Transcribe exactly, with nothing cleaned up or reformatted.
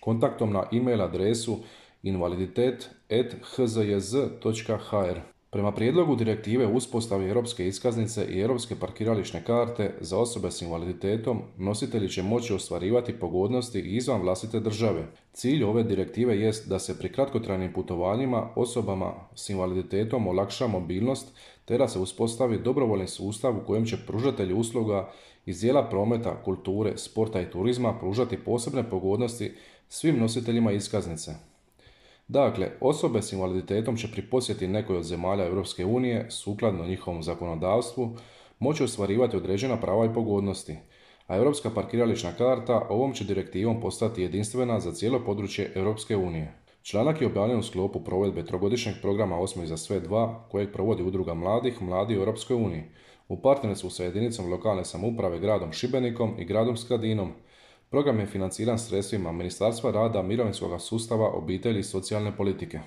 kontaktom na e-mail adresu invaliditet at h z j z točka h r. Prema prijedlogu direktive o uspostavi europske iskaznice i europske parkirališne karte za osobe s invaliditetom, nositelji će moći ostvarivati pogodnosti izvan vlastite države. Cilj ove direktive jest da se pri kratkotrajnim putovanjima osobama s invaliditetom olakša mobilnost te da se uspostavi dobrovoljni sustav u kojem će pružatelji usluga iz dijela prometa, kulture, sporta i turizma pružati posebne pogodnosti svim nositeljima iskaznice. Dakle, osobe s invaliditetom će pri posjeti nekoj od zemalja Europske unije, sukladno njihovom zakonodavstvu, moći ostvarivati određena prava i pogodnosti, a europska parkirališna karta ovom će direktivom postati jedinstvena za cijelo područje Europske unije. Članak je objavljen u sklopu provedbe trogodišnjeg programa Osmih za sve dva, kojeg provodi Udruga mladih Mladi u Europskoj uniji, u partnerstvu sa jedinicom lokalne samouprave gradom Šibenikom i gradom Skradinom. Program je financiran sredstvima Ministarstva rada, mirovinskog sustava, obitelji i socijalne politike.